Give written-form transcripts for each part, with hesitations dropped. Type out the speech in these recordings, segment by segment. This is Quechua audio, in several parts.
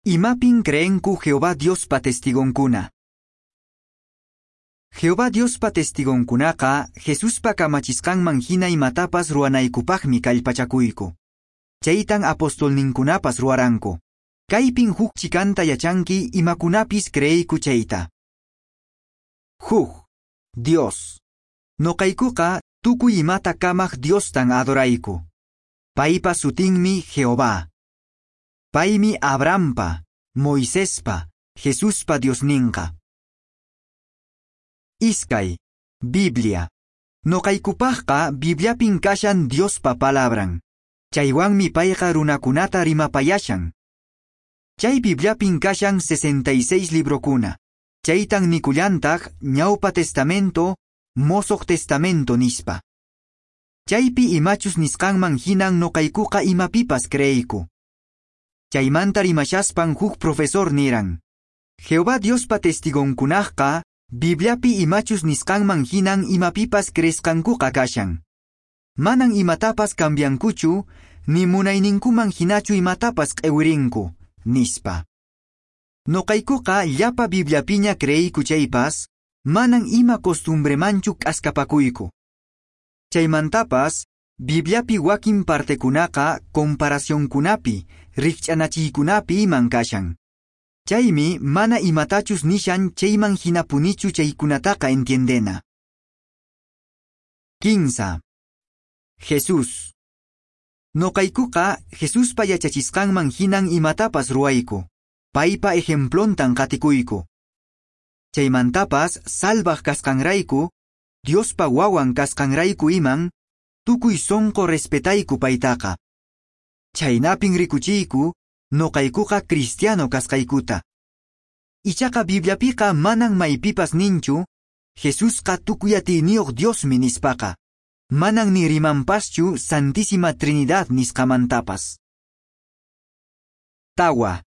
Imapin creenku Jehová Diospa testigonkuna? Jehová Diospa testigonkunaqa Jesuspa kamachisqanman hina imatapas ruwanaykupaqmi kallpachakuyku. Chaytan apostolninkunapas ruwaranku. Kaypin huk chikanta yachanki imakunapis creeyku chayta. Huk, Dios. Noqaykuqa tukuy imata kamaq Diostan adorayku. Paypa sutinmi Jehová. Paymi Abrahampa, Moisespa, Jesuspa Diosninqa. Iskay, Biblia. Noqaykupaqqa Bibliapin kashan Diospa palabran. Chaywanmi payqa runakunata rimapayashan. Chay Bibliapin kashan 66 librokuna. Chaytan nikullantaq Ñawpa Testamento, Mosoq Testamento nispa. Chaypi imachus nisqanman hinan noqaykuqa imapipas creeyku. Chaymanta rimashaspan huk profesor niran: Jehová Diospa testigonkunaqqa Bibliapi imachus nisqanman hinan imapipas creesqankuqa kashan. Manan imatapas cambiankuchu, ni munayninkuman hinachu imatapas q'ewirinku, nispa. Noqaykuqa llapa Bibliapiña creeyku chaypas, manan ima costumbremanchu k'askapakuyku. Chaymantapas, Bibliapi wakin partekunaqa comparacionkunapi, rikch'anachiykunapi iman kashan. Chaymi mana imatachus nishan chayman hinapunichu chaykunataqa entiendena. 15. Jesús. Noqaykuqa Jesuspa yachachisqanman hinan imatapas ruwayku. Paypa ejemplontan qatikuyku. Chaymantapas salvaq kasqanrayku, Diospa wawan kasqanrayku iman, tukuy sonqo respetayku paytaqa. Chaynapin rikuchiyku, noqaykuqa cristiano kasqaykuta. Ichaqa Bibliapiqa manan maypipas ninchu, Jesusqa tukuy atiyniyuq Diosmi nispaqa. Manan ni rimanpaschu Santísima Trinidad nisqamantapas. Tawa.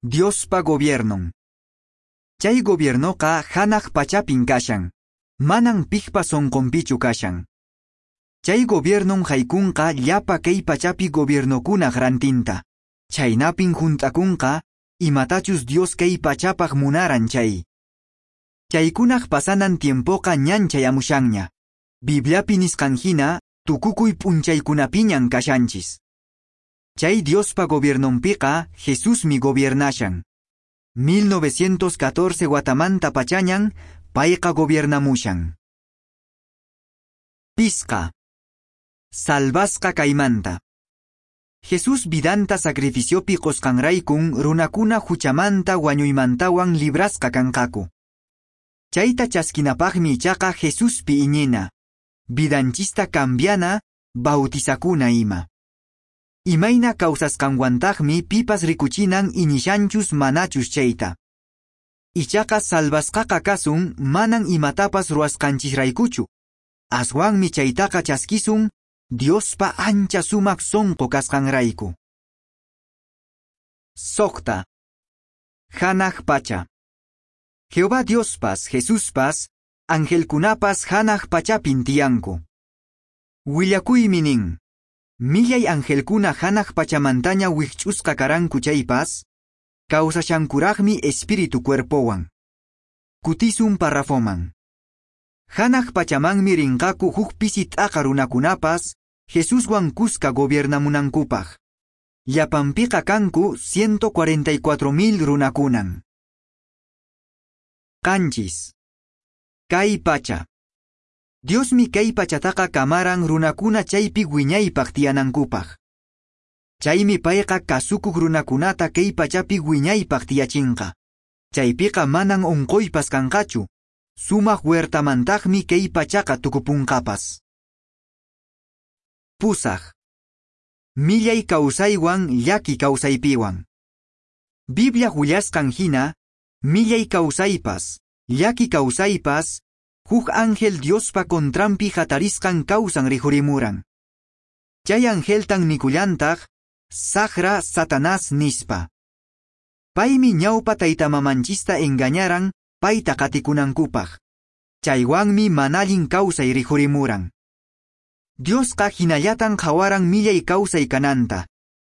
Diospa gobiernon. Chay gobiernoqa hanaq pachapin kashan. Manan piqpa sonqonpichu kashan. Chay gobiernon haykunqa llapa kay pachapi gobiernokunaq rantinta. Chaynapin hunt'akunqa imatachus Dios kay pachapaq munaran chay. Chaykunaq pasanan tiempoqa ñan chayamushanña. Bibliapi nisqan hina tukukuy p'unchaykunapiñan kashanchis. Chay Diospa gobiernonpiqa Jesusmi gobiernashan. 1914 watamanta pachañan payqa gobiernamushan. Pisqa. Salvasqa kaymanta. Jesús vidanta sacrificiopi qosqanraykun runakuna huchamanta wañuymantawan librasqa kanqaku. Chayta chaskinapaqmi ichaqa Jesuspi iñina. Vidanchista cambiana, bautizakuna ima. Imayna kawsasqanwantaqmi pipas rikuchinan iñishanchus manachus chayta. Ichaqa salvasqaqa kasun manan imatapas ruwasqanchisraykuchu. Aswanmi chaytaqa chaskisun Diospa ancha sumaq sonqo kasqanrayku. Soqta. Hanaq pacha. Jehová Diospas, Jesuspas, angelkunapas hanaq pachapin tiyanku. Willakuymi nin: Millay angelkuna hanaq pachamantaña wikch'usqa karanku chaypas, kawsashankuraqmi espíritu cuerpowan. Kutisun parrafoman. Hanaq pachamanmi rinqaku huk pisi t'aqa runakunapas Jesuswan kuska gobiernamunankupaq. Llapanpiqa kanku 144,000 runakunan. 7. Kay pacha. Diosmi kay pachataqa kamaran runakuna chaypi wiñaypaq tiyanankupaq. Chaymi payqa kasukuq runakunata kay pachapi wiñaypaq tiyachinqa. Chaypiqa manan unquypas kanqachu. Sumaq huertamantaqmi kay pachaqa tukupunqapas. 8. Millay kawsaywan llaki kawsaypiwan. Biblia willasqan hina, millay kawsaypas, llaki kawsaypas, huk ángel Diospa contranpi hatarisqan kawsan rikhurimuran. Chay angeltan nikullantaq, Saqra Satanás nispa. Paymi ñawpa taytamamanchista engañaran payta qatikunankupaq. Chaywanmi manallin kawsay rikhurimuran. Diosqa hinallatan qhawaran millay kawsay kananta,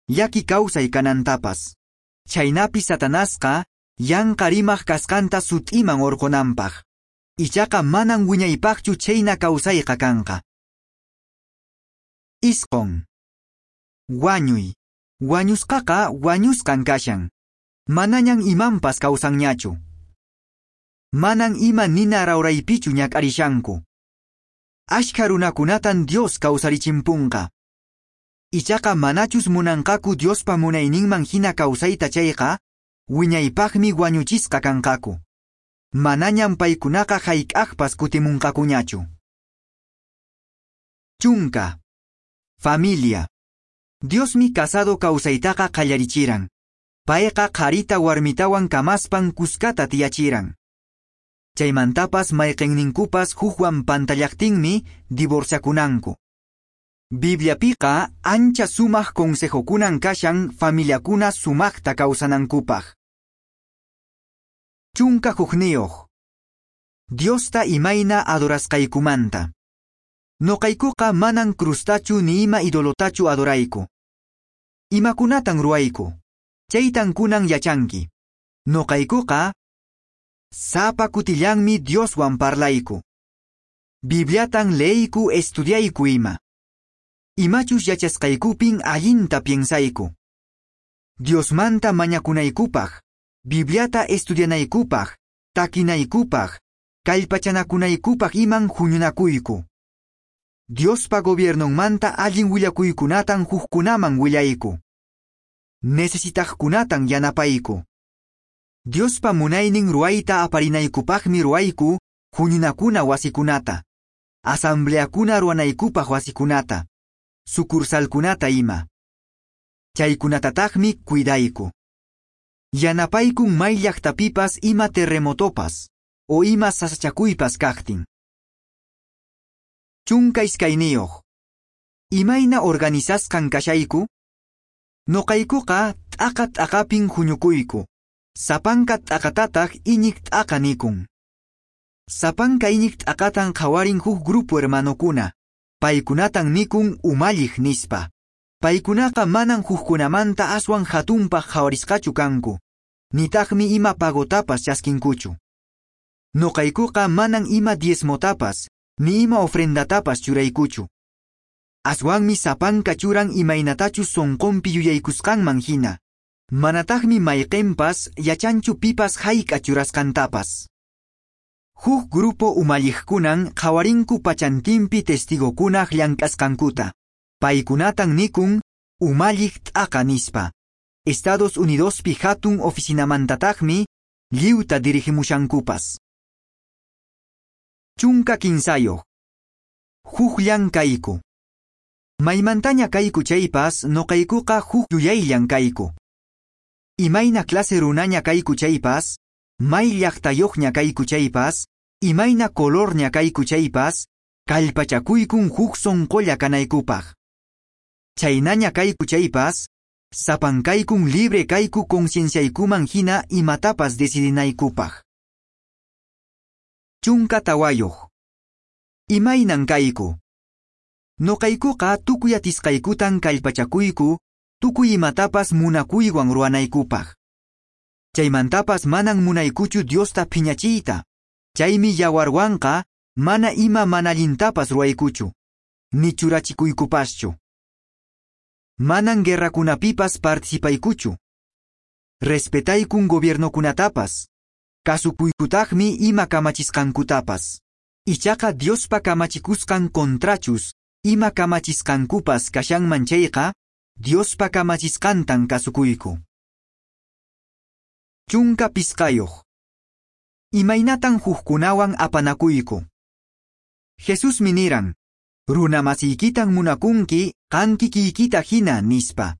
llaki kawsay kanantapas. Chhaynapi Satanasqa yanqa rimaq kasqanta sut'iman orqonanpaq. Ichaqa manan wiñaypaqchu chhayna kawsayqa kanqa. 9. Wañuy. Wañusqaqa wañusqan kashan. Manañan imanpas kawsanñachu. Manan ima nina rawraypichu ñak'arishanku. Ashkha runakunatan Dios kawsarichimpunqa. Ichaqa manachus munanqaku Diospa munayninman hina kawsayta chayqa, wiñaypaqmi wañuchisqa kanqaku. Manañan paykunaqa hayk'aqpas kutimunqakuñachu. 10. Familia. Diosmi casado kawsaytaqa qallarichiran. Payqa qharita warmitawan kamaspan kuskata tiyachiran. Chaymantapas mayqinninkupas hukwan pantallaqtinmi divorciakunanku. Bibliapiqa ancha sumaq consejokunan kashan familiakuna sumaqta kawsanankupaq. 11. Diosta imayna adorasqaykumanta. Noqaykuqa manan crustachu ni ima idolotachu adorayku. Imakunatan ruwayku? Chaytan kunan yachanki. Noqaykuqa sapa kutillanmi Dioswan parlayku. Bibliatan leeyku estudiayku ima. Imachus yachasqaykupin allinta piensayku. Diosmanta mañakunaykupaq, Bibliata estudianaykupaq, takinaykupaq, kallpachanakunaykupaq iman huñunakuyku. Diospa gobiernonmanta allin willakuykunatan hukkunaman willayku. Necesitaqkunatan yanapayku. Diospa munaynin ruwayta aparinaykupaqmi ruwayku huñunakuna wasikunata, asambleakuna ruwanaykupaq wasikunata, sucursalkunata ima. Chaykunatataqmi cuidayku. Yanapaykun may llaqtapipas ima terremotopas o ima sasachakuypas kaqtin. 12. Imayna organizasqan kashayku? Noqaykuqa t'aqa t'aqapin huñukuyku. Sapanka t'aqatataq iñiq t'aqa nikun. Sapanka iñiq t'aqatan qhawarin huk grupo hermanokuna. Paykunatan nikun umalliq nispa. Paykunaqa manan hukkunamanta aswan hatunpaq qhawarisqachu kanku. Nitaqmi ima pagotapas chaskinkuchu. Noqaykuqa manan ima diezmotapas, ni ima ofrendatapas churaykuchu. Aswanmi sapanka churan imaynatachus sonqonpi yuyaykusqanman hina. Manataqmi mayqinpas yachanchu pipas hayk'a churasqantapas. Huk grupo umalliqkunan qhawarinku pachantinpi testigokunaq llank'asqankuta. Paykunatan nikun umalliq t'aqa nispa. Estados Unidospi hatun oficinamantataqmi lliwta dirigimushankupas. 13. Hukllan kayku. Maymantaña kayku chaypas noqaykuqa huk yuyayllan kayku. Imayna clase runaña kayku chaypas, may llaqtayuqña kayku chaypas, imayna colorña kayku chaypas, kallpachakuykun huk sonqolla kanaykupaq. Chaynaña kayku chaypas, sapankaykun libre kayku concienciaykuman hina imatapas decidinaykupaq. 14. Imaynan kayku? Noqaykuqa tukuy atisqaykutan kallpachakuyku, tukuy imatapas munakuywan ruwanaykupaq. Chaymantapas manan munaykuchu Diosta phiñachiyta. Chaymi yawarwanqa mana ima mana allintapas ruwaykuchu, ni churachikuykupaschu. Manan guerrakunapipas participaykuchu. Respetaykun gobiernokunatapas. Kasukuykutaqmi ima kamachisqankutapas. Ichaqa Diospa kamachikusqan contrachus ima kamachisqankupas kashanman chayqa, Diospa kamachisqantan kasukuyku. 15. Imaynatan hukkunawan apanakuyku? Jesusmi niran, runa masiykitan munakunki qan kikiykita hina nispa.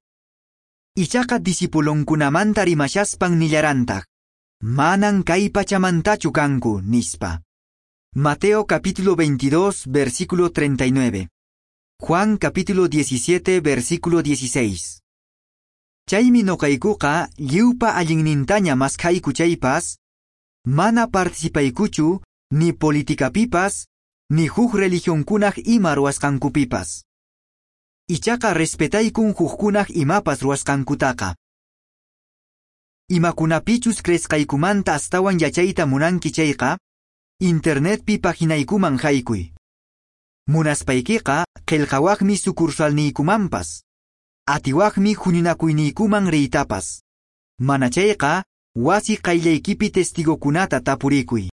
Ichaqa discipulonkunamanta rimashaspan nillarantaq, manan kay pachamantachu kanku nispa. Mateo capítulo 22, versículo 39. Juan capítulo 17, versículo 16. Chaymi noqaykuqa lliwpa allinnintaña maskhayku chaypas, mana participaykuchu ni politicapipas, ni huk religionkunaq ima ruwasqankupipas. Ichaqa respetaykun hukkunaq imapas ruwasqankutaqa. Imakunapichus creesqaykumanta astawan yachayta munanki chayqa, internetpi paginaykuman haykuy. Munaspaykiqa qillqawaqmi sucursalniykumanpas. Atiwaqmi huñunakuyniykuman riytapas. Mana chayqa, wasi qayllaykipi testigokunata tapurikuy.